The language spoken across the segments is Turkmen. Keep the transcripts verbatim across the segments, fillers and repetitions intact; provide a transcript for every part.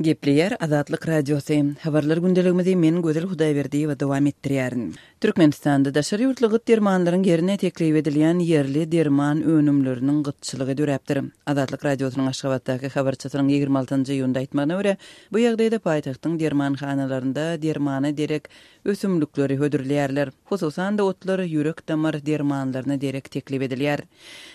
Gepleýär Azatlyk Radiosy. Habarlar gündeligimizi men Gözel Hudaýberdiýewa dowam etdirýärin. Türkmenistanda daşary ýurtly gyt dermanlaryň ýerine teklip edilýän ýerli derman önümleriniň gytçylygy döräpdir. Azatlyk Radiosynyň Aşgabatdaky habarçysynyň ýigrimi altynjy iýunda aýtmagyna görä, bu ýagdaýda paýtagtyň dermanhanalarynda dermana derek ösümlikleri hödürleýärler. Hususan-da otlar ýürek-damar dermanlaryna derek teklip edilýär.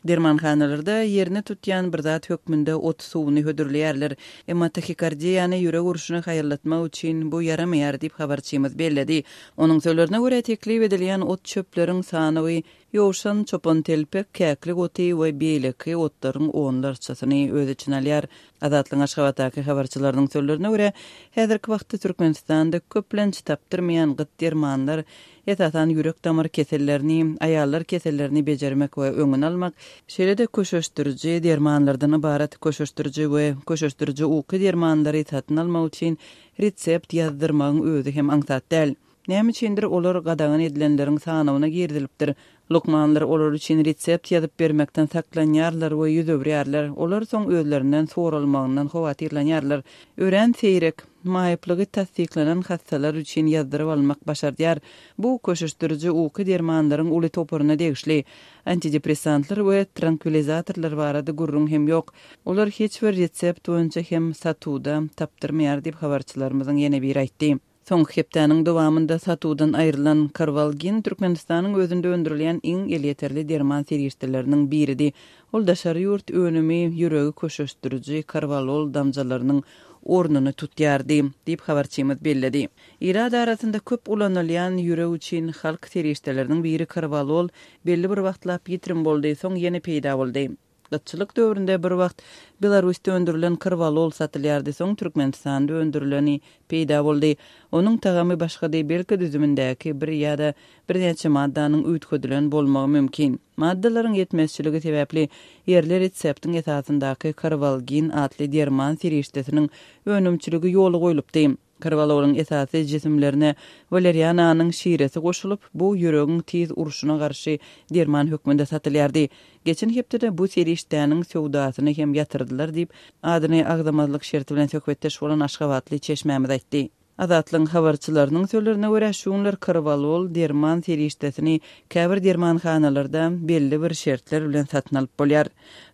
Dermanhanalarda ýerini tutýan bir zat hökmünde ot suwuny hödürleýärler. Emma tahikardiýany ýürek urşuny haýallatmak üçin bu ýaramaýar diýip habarçymyz belledi. Onuň sözlerine görä teklip edilýän ot çöpleriň sanawy ýowşan, çopan telpek, käklik oty we beýleki otlaryň onlarçasyny öz içine alýar. Azatlygyň Aşgabatdaky habarçylarynyň sözlerine görä, häzirki wagtda Türkmenistanda köplenç tapdyrmaýan gyt dermanlar, esasan ýürek-damar kesellerini, aýallar kesellerini bejermek we öňüni almak, şeýle-de köşeşdiriji dermanlardan ybarat köşeşdiriji we köşeşdiriji uky dermanlary satyn almak üçin resept ýazdyrmagyň özi hem aňsat däl. Näme üçindir olar gadagan edilenleriň sanawyna girizilipdir. Lukmanlar olar üçin resept ýazyp bermekden saklanýarlar we ýüz öwürýärler. Olar soň özlerinden soralmagyndan howatyrlanýarlar. Örän seýrek, maýyplygy tassyklanan hassalar üçin ýazdyryp almak başardýar. Bu köşeşdiriji uky dermanlaryň uly toparyna degişli. Antidepressantlar we trankvilizatorlar barada gürrüň hem ýok. Olar hiç bir resept boýunça hem satuwda tapdyrmaýar diýip habarçylarymyzyň ýene biri aýtdy. Soňky hepdäniň dowamynda satuwdan aýrylan Karwalgin Türkmenistanyň özünde öndürilýän iň elýeterli derman serişdeleriniň biridi. Ol daşary ýurt önümi ýüregi köşeşdiriji karwalol damjalarynyň ornuny tutýardy diýip habarçymyz belledi. Ilat arasynda köp ulanylýan ýürek üçin halk serişdeleriniň biri karwalol belli bir wagtlap ýitirim boldy, soň ýene peýda boldy. Gytçylyk döwründe bir wagt Belarusda öndürilen karwalol satylýardy, soň Türkmenistanda öndürileni peýda boldy. Onuň tagamy başgady, belki düzümindäki bir ýa-da birnäçe maddanyň üýtgedilen bolmagy mümkin. Maddalaryň ýetmezçiligi sebäpli ýerli reseptiň esasyndaky karwalgin atly derman serişdesiniň önümçiligi ýola goýlupdy. Karwalolyň esasy jisimlerine waleriananyň şiresi goşulyp, bu ýüregiň tiz urşuna garşy derman hökmünde satylýardy. Geçen hepdede bu serişdäniň söwdasyny hem ýatyrdylar diýip, adyny agzamazlyk şerti bilen söhbetdeş bolan Aşgabatly çeşmämiz aýtdy. Azatlygyň habarçylarynyň sözlerine görä, şu günler karwalol derman serişdesini käbir dermanhanalarda belli bir şertler bilen satyn alyp bolýar.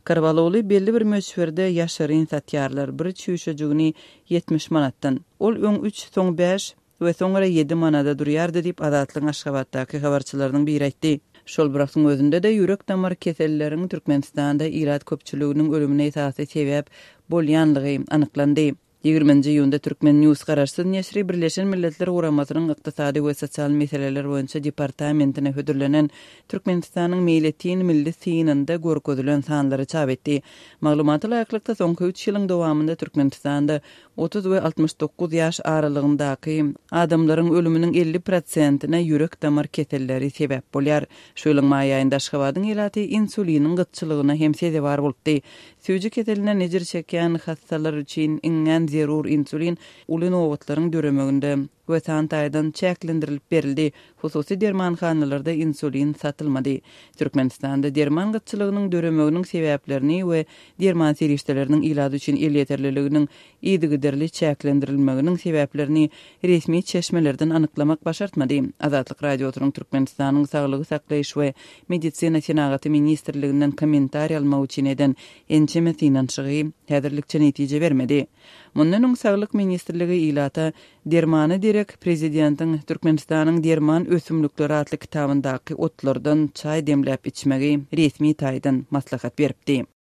Karwaloly belli bir möçberde ýaşaryn satýarlar, bir çüýşejigini ýetmiş manatdan. Ol öň üç, soň bäş we soňra ýedi manada durýardy diýip Azatlygyň Aşgabatdaky habarçylarynyň biri aýtdy. Şol bir wagtyň özünde-de ýürek-damar keselleriň Türkmenistanda ilat köpçüliginiň ölümine esasy sebäp bolýanlygy anyklandy. Ýigriminji iýunda Türkmen News garaşsyz neşiri Birleşen Milletler Guramasynyň Ykdysady we sosial meseleler boýunça departamentine hödürlenen Türkmenistanyň meýletin milli synynda görkezilen sanlary çap etdi. Maglumata laýyklykda soňky üç ýylyň dowamynda Türkmenistanda otuz we altmyş dokuz ýaş aralygyndaky adamlaryň ölüminiň elli prosentine ýürek-damar keselleri sebäp bolýar. Şu ýylyň maý aýynda Aşgabadyň ilaty insuliniň gytçylygyna hem sezewar bolupdy. Süýji keselinden ejir çekýän hassalar üçin iňňän zerur insulin uly nobatlaryň döremeginde we san taýdan çäklendirilip berildi. Hususy dermanhanalarda insulin satylmady. Türkmenistanda derman gytçylygynyň döremeginiň sebäplerini we derman serişdeleriniň ilat üçin elýeterliliginiň yzygiderli çäklendirilmeginiň sebäplerini resmi çeşmelerden anyklamak başartmady. Azatlyk Radiosynyň Türkmenistanyň Saglygy saklaýyş we medisina senagaty ministrliginden kommentariý almak üçin eden ençeme synanyşygy häzirlikçe netije bermedi. Mundan öň Saglyk ministrligi ilata dermana derek prezidentiň Türkmenistanyň derman ösümlikleri atly kitabyndaky otlardan çaý demläp içmegi resmi taýdan maslahat beripdi.